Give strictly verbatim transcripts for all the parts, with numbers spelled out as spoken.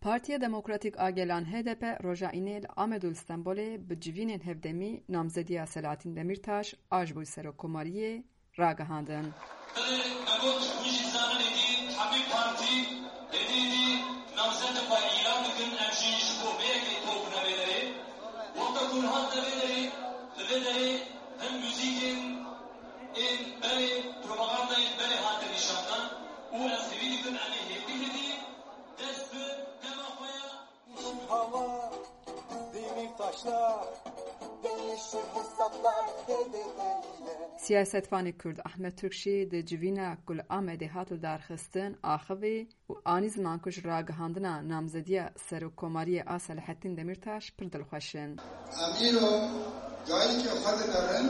Partiya Demokratîk a Gelan H D P roja Înê li Amed û li Stenbolê bi civînên hevdemî namzediya Selahattin Demîrtaş a ji bo serokkomariyê ragihandin. Belê, me got, hûn jî zanin êdî hemî partî êdî êdî namzetê xwe îlan dikin, em jî ji bo vê yekê top ne vê derê. Wexta ku hate vê derê, li vê derê hin muzîkên ên berê, propagandayên berê hate nîşandan û ez hêvî dikim em ê hêdî hêdî dest bi dema xwe ya. Hava, demir taşlar, değişir hesaplar, H D P ile. Siyasetvanê Kurd Ahmet Türkşî di civîna ku li Amedê hat lidarxistin axivî û anî ziman ku ji ragihandina namzediya serokkomariyê a Selahattin Demîrtaş pir dilxweş in. Em îro dayikê xwe dinerin,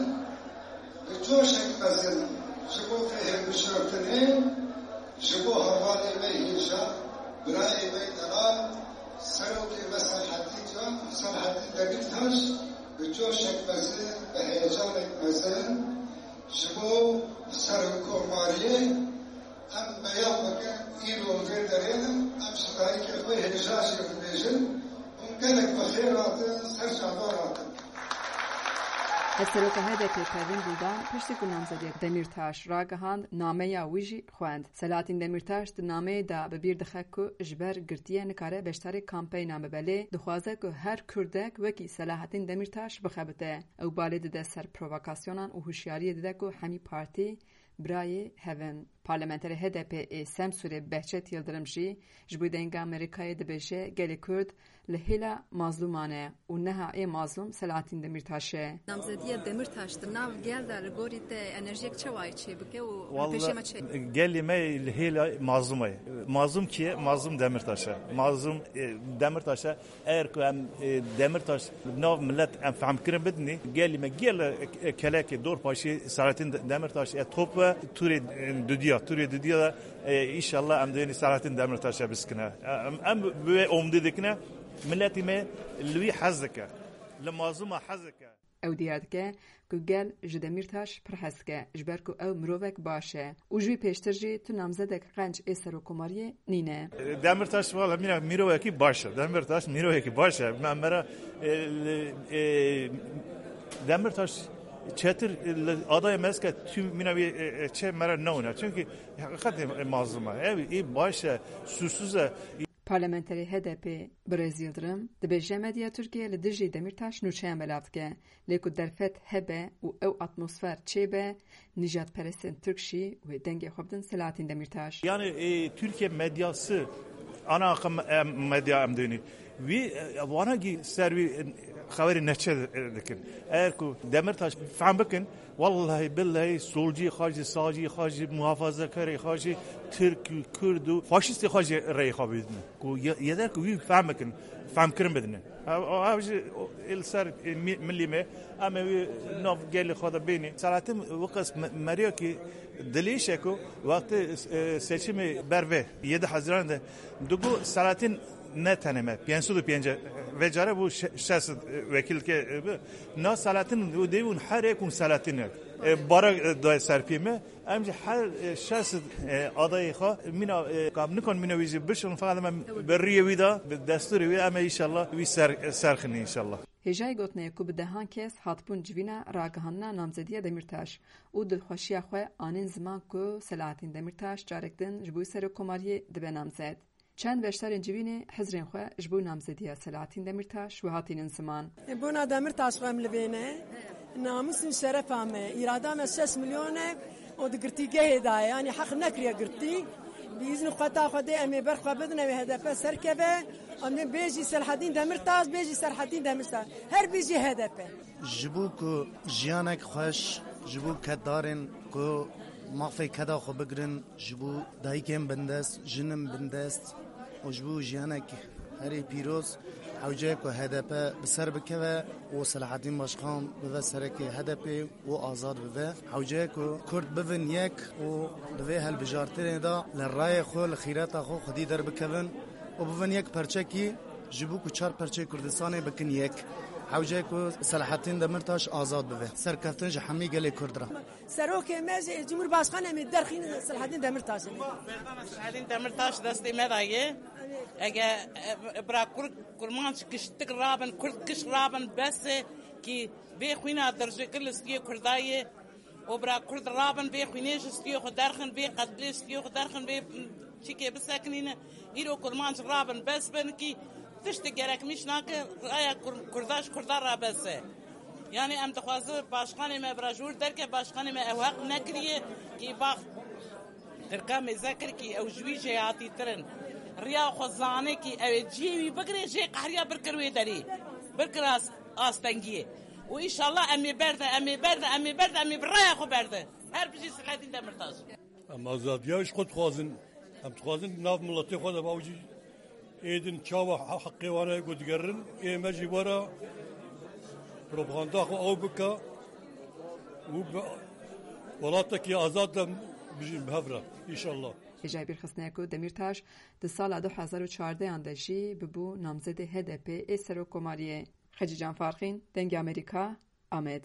bi coşek mezin ji bo vê hilbijartinê, ji bo hevalê me hêja, birayê me delal, serokê me Selahattin Can, Selahattin Demîrtaş, bi coşek mezin, bi heyecanek mezin, ji bo serokkomariyê, em beyan bikin, îro li vê derê ne, em ji dayikê xwe hêja jê dibêjin, hûn gelek bi xêr hatin, ser çavan hatin. Hevseroka H D P Pervîn Buldan piştî ku namzediya Demîrtaş ragihand, nameya wî jî xwend. Selahattin Demîrtaş di nameyê de bi bîr dixe ku ji ber girtiyê nikare beşdarê kampeynan bibe, lê dixwaze ku her Kurdek wekî Selahattin Demîrtaş bixebite. Ew balê dide ser provokasyonan û hişyariyê dide ku hemî partî birayê hev in. Parlamenterê H D P ê Semsûrê Behçet Yildirim jî ji bo Denga Amerîkayê dibêje, gelê Kurd li hêla mazlûman e û niha ê mazlûm Selahattin Demîrtaş e. Namzediya Demîrtaş di nav gel de li gorî te enerjiyek çawa çê bike û Walla, pêşê me çê? Gelê me li hêla mazlûma ye. Mazlûm kî ye? Mazlûm Demîrtaş e. Mazlûm, e, Demîrtaş e. Eger ku em, e, Demîrtaş li nav milet em fehmkirin bidinî, gelê me gel, e, e, kelekê dorpaşê Selahattin De-, Demîrtaş e top e, tûrê, e, dudiya, tûrê dudiya de, e, înşallah em dibênî Selahattin Demîrtaş e biskine. E, em, em bi wê omdê dikine, miletî me li wî hez dike. Li mazlûma hez dike. Ew diyar dike ku gel ji Demîrtaş pir hez dike, ji ber ku ew mirovek baş e û ji wî pêştir jî tu namzedek qenc ê serokkomariyê nîne. Demîrtaş wala mîna mîrovekî baş e. Demîrtaş mîrovekî baş e. Me, me re, e, e, Demîrtaş çetir, e, li adayê me zike tu mîna wî, e, e, çê me re newine. Çunkî heqîqetê mazlûm e. Ew ê baş e, sûsûz e. Parlamenterê H D P Birêz Yildirim dibêje medya Tirkiye li dijî Demîrtaş nûçeyan belav dike, lê ku derfet hebe û ew atmosfer çêbe, nijadperestên Tirk jî wê dengê xwe bidin Selahattin Demîrtaş. Yani, e, Türkiye medyası, ana akım, e, medya em dönü. Wî, e, vana ki ser wî, e, xeberî neçe, e, dikin. Eğer ku Demîrtaş fehm bikin, Wallahî billahî solcî xwe jî, sağcî xwe jî, muhafazakarê xwe jî, Tirk û Kurd û faşîstê xwe jî rêyê xwe bidine. Ku ye-, yeder ku wî fehm bikin, fehmkirin bidine. Ev, ev jî ê li ser, e, mi-, milî me, em ê wî nav gelê xwe de bênî. Selahattin weqas me-, meriya ki dilêşe ku wextê, e, seçimê berve yedi Haziran de digo Selahattin ne tenê me, pênc sed û pêncî, vê care bû şe-, şeş sed, e, wekîl ke, e, bi. Na Selahattin û dê hûn her yek hûn Selahattin e. E, bara, e, dayê ser pê me, em jî her, e, şeş sed, e, adayê xwe mîna, e, kam nikon mîna wî jî bişin, feqet em bi riyê wî de, bi destûrê wî em ê înşallah wî ser, e, serxinî înşallah. Hêjayî gotinê ku bi dehan kes hatibûn civîna ragihandina namzediya Demîrtaş û dilxweşiya xwe anîn ziman ku Selahattin Demîrtaş carek din ji bo serokkomariyê dibe namzed. Çend beşdarên civînê hizrên xwe ji bo namzediya Selahattin Demîrtaş wiha tînin ziman. Bona Demîrtaş xwe em li vê ne. Namus û şerefa me, îrada me şeş milyon e û di girtîgehê de ye. Yanî heq nekiriye girtî. Bi îzn û qeta Xwedê em ê ber xwe bidin, ew ê H D P serkeve. Em ê bêjî Selahattin Demîrtaş, bêjî Selahattin Demîrtaş. Her bêjî H D P. Ji bo ku jiyanek xweş, ji bo keddarên ku mafê keda xwe bigirin, ji bo dayikên bindest, jinên bindest û ji bo jiyanek herî pîroz, hewce ye ku H D P bi ser bikeve û Selahattin Başkan bibe serekê H D P û azad bibe. Hewce ye ku Kurd bibin yek û di vê hilbijartinê de li rayê xwe, li xîreta xwe xwedî derbikevin û bibin yek perçekî, ji bo ku çar perçeyê Kurdistanê bikin yek. Hewce ku Selahattin Demirtaş azad bibe. Serkeftin ji hemî gelê Kurd re. Serokê me jî, Cumhurbaşkanê me derxîn Selahattin Demirtaş. Selahattin Demirtaş destê me daye. Ege, e, bira Kurd, Kurmanc kiştik rabin, Kurd kiş rabin bes e ki bê xwîna dirjikir li stiyê Kurda ye. O bira Kurd rabin, bê xwînê ji stiyê xwe derxin, bê qetlê stiyê xwe derxin, bê çikê bisekinîne. Îro Kurmanc rabin, bes bin ki tiştê gerekmîş nake, raya Kur-, Kurda ji Kurda ra bes e. Yani em dixwaze başkanê me bira ji wir derke, başkanê me ew heq nekiriye ki bax Tirka mêze kir ki ew ji wî jêhatîtirin. Riya xwe zane ki ew ê cihê wî bigire, jê qehriya birkir wê derê. Birkir as-, astengiyê. Û înşallah em ê berde, em ê berde, em ê berde, em ê bi raya xwe berde. Her bijî Selahattin Demirtaş. Em azadiya ji xwe dixwazin. Em dixwazin nav miletê xwe de bawcî êdin çawa he-, heqê wan e ku digerin. Ê me jî were propaganda xwe ew bike û bi welatekî azad de bijîn bi hev re. Înşallah. Hêjayî bîrxistinê ku Demîrtaş di sala du hezar û çardehan de jî bibû namzedê H D P ê serokkomariyê. Xecîcan Farqîn, Dengê Amerîka, Amed.